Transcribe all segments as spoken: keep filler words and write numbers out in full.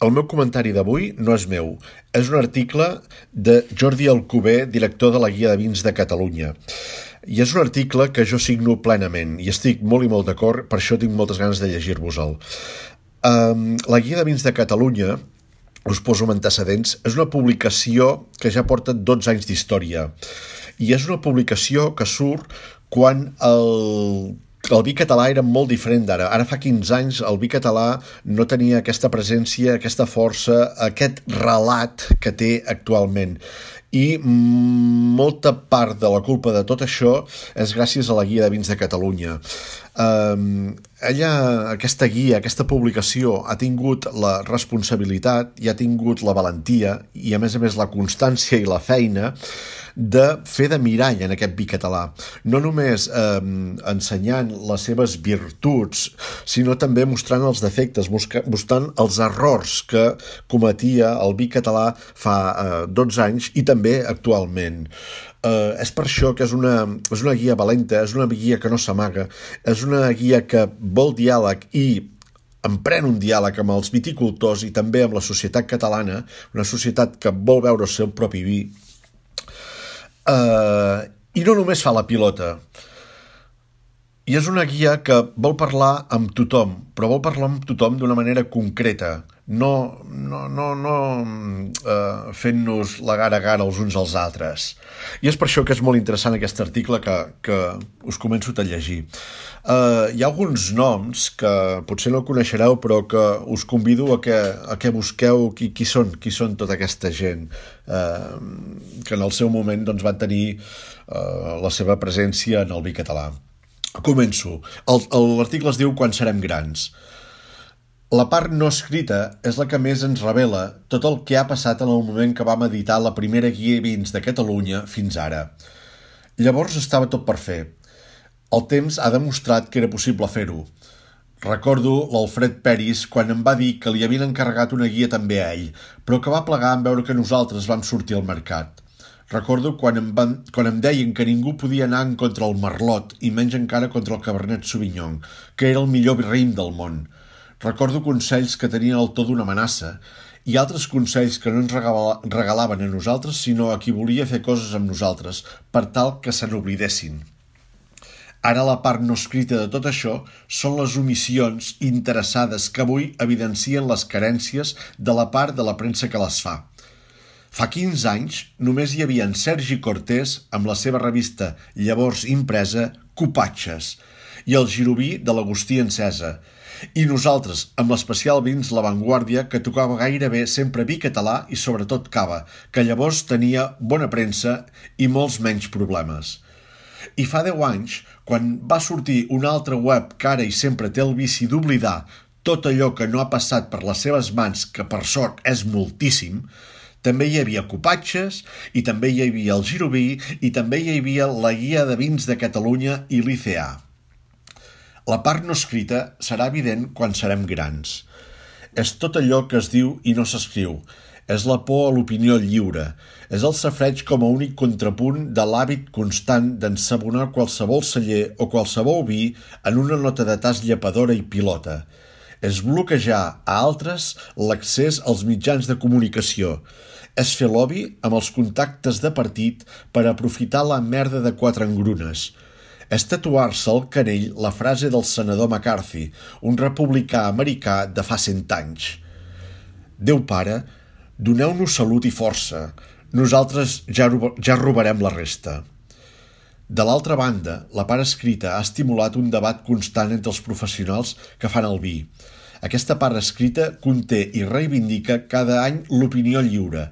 el meu comentari d'avui no és meu. És un article de Jordi Alcover, director de la Guia de Vins de Catalunya. I és un article que jo signo plenament i estic molt i molt d'acord, per això tinc moltes ganes de llegir-vos-el. Um, la Guia de Vins de Catalunya, us poso amb antecedents, és una publicació que ja porta dotze anys d'història. I és una publicació que surt quan el... El vi català era molt diferent d'ara. Ara fa quinze anys el vi català no tenia aquesta presència, aquesta força, aquest relat que té actualment. I molta part de la culpa de tot això és gràcies a la Guia de Vins de Catalunya. Um, ella, aquesta guia, aquesta publicació, ha tingut la responsabilitat i ha tingut la valentia i, a més a més, la constància i la feina de fer de mirall en aquest vi català. No només eh, ensenyant les seves virtuts, sinó també mostrant els defectes, mostrant els errors que cometia el vi català fa eh, dotze anys i també actualment. Uh, és per això que és una, és una guia valenta, és una guia que no s'amaga, és una guia que vol diàleg i emprèn un diàleg amb els viticultors i també amb la societat catalana, una societat que vol veure el seu propi vi. Uh, I no només fa la pilota. I és una guia que vol parlar amb tothom, però vol parlar amb tothom d'una manera concreta, no, no, no, no uh, fent-nos la gara a gara els uns als altres. I és per això que és molt interessant aquest article que, que us començo a llegir. Uh, hi ha alguns noms que potser no coneixereu, però que us convido a que, a que busqueu qui, qui són, qui són tota aquesta gent uh, que en el seu moment doncs, van tenir uh, la seva presència en el vi català. Començo. L'article es diu Quan serem grans. La part no escrita és la que més ens revela tot el que ha passat en el moment que vam editar la primera guia de vins de Catalunya fins ara. Llavors estava tot per fer. El temps ha demostrat que era possible fer-ho. Recordo l'Alfred Peris quan em va dir que li havien encarregat una guia també a ell, però que va plegar en veure que nosaltres vam sortir al mercat. Recordo quan em, van, quan em deien que ningú podia anar en contra el Merlot i menys encara contra el Cabernet Sauvignon, que era el millor raïm del món. Recordo consells que tenien el to d'una amenaça i altres consells que no ens regalaven a nosaltres sinó a qui volia fer coses amb nosaltres per tal que se n'oblidessin. Ara la part no escrita de tot això són les omissions interessades que avui evidencien les carències de la part de la premsa que les fa. Fa quinze anys només hi havia en Sergi Cortés amb la seva revista llavors impresa Copatges i el giroví de l'Agustí Encesa i nosaltres amb l'especial Vins La Vanguardia que tocava gairebé sempre vi català i sobretot cava, que llavors tenia bona premsa i molts menys problemes. I fa deu anys, quan va sortir una altra web que ara i sempre té el vici d'oblidar tot allò que no ha passat per les seves mans, que per sort és moltíssim, també hi havia Copatges, i també hi havia el giroví, i també hi havia la Guia de Vins de Catalunya i l'I C A. La part no escrita serà evident quan serem grans. És tot allò que es diu i no s'escriu. És la por a l'opinió lliure. És el safreig com a únic contrapunt de l'hàbit constant d'ensabonar qualsevol celler o qualsevol vi en una nota de tas llepadora i pilota. És bloquejar a altres l'accés als mitjans de comunicació. És fer lobby amb els contactes de partit per aprofitar la merda de quatre engrunes. És tatuar-se al canell la frase del senador McCarthy, un republicà americà de fa cent anys. Déu pare, doneu-nos salut i força. Nosaltres ja, ja robarem la resta. De l'altra banda, la part escrita ha estimulat un debat constant entre els professionals que fan el vi. Aquesta part escrita conté i reivindica cada any l'opinió lliure,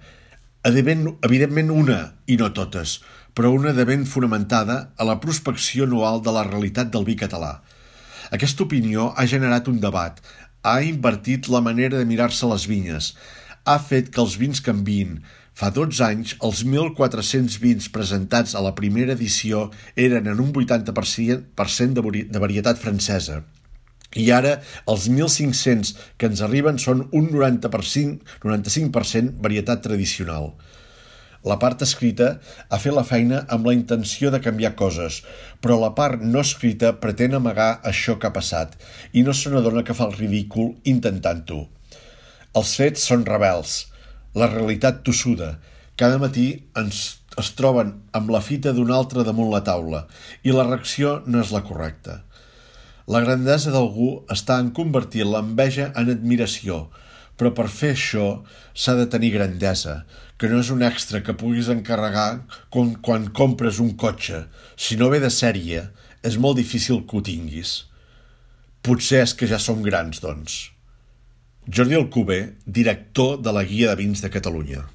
evidentment una i no totes, però una de ben fonamentada a la prospecció anual de la realitat del vi català. Aquesta opinió ha generat un debat, ha invertit la manera de mirar-se les vinyes, ha fet que els vins canviïn. Fa dotze anys, els mil quatre-cents vins presentats a la primera edició eren en un vuitanta per cent de varietat francesa. I ara els mil cinc-cents que ens arriben són un noranta per cent, noranta-cinc per cent varietat tradicional. La part escrita ha fet la feina amb la intenció de canviar coses, però la part no escrita pretén amagar això que ha passat i no se n'adona que fa el ridícul intentant-ho. Els fets són rebels, la realitat tossuda. Cada matí ens es troben amb la fita d'un altre damunt la taula i la reacció no és la correcta. La grandesa d'algú està en convertir l'enveja en admiració, però per fer això s'ha de tenir grandesa, que no és un extra que puguis encarregar quan, quan compres un cotxe. Si no ve de sèrie, és molt difícil que ho tinguis. Potser és que ja som grans, doncs. Jordi Alcover, director de la Guia de Vins de Catalunya.